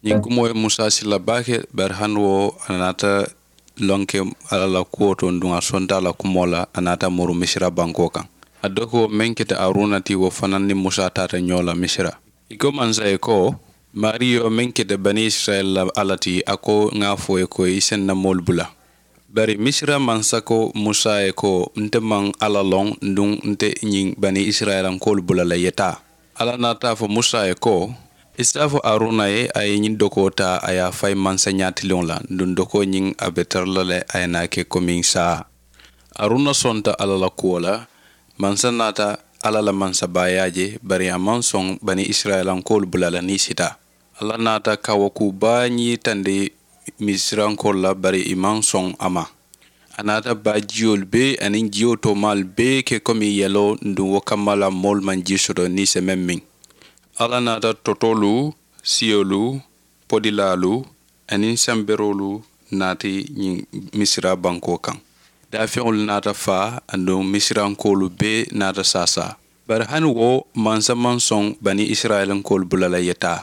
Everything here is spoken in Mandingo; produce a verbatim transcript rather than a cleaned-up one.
Ñiŋ kumoo ye musa sila baake, bari hani wo a naata loŋ ke alla la kuwo to nduŋ a sonta a la kumoo la a naata muru misira bankoo kaŋ. A dokoo meŋ keta aruna ti wo fanaŋ niŋ musa taata ñoo la misira. I ko mansa ye ko, maariyo meŋ keta bani isirayila la alla ti a ko ŋa a fo i ye ko i se n na moolu bula. Bari misira mansa ko musa ye ko, nte maŋ alla loŋ nduŋ nte ñiŋ bani isirayilankoolu bula la i ye taa. Alla naata a fo musa ye ko, i si a fo aruna ye a ye ñiŋ dokoo taa a ye a fayi mansañaa tiliŋo la nduŋ dokoo ñiŋ a be tara la le a ye naa ke komiŋ saa. Aruna sonta alla la kuwo la. Mansa naata alla la mansabaayaa je, bari a maŋ soŋ bani isirayilankoolu bula la niŋ i si taa. Alla naata kawakuu baa ñiitandi misirankoolu la, bari i maŋ soŋ a ma. A naata baa jiyolu bee aniŋ jiyo toomaalu bee ke komi yeloo nduŋ wo kamma la moolu maŋ jii soto niŋ i se meŋ miŋ. Alla naata totoolu, siyolu, podilaalu, aniŋ samberoolu naati ñiŋ misira bankoo kaŋ. Daafeŋolu naata faa aduŋ misirankoolu bee naata saasaa. Bari hani wo mansa maŋ soŋ bani isirayilankoolu bula la i ye taa.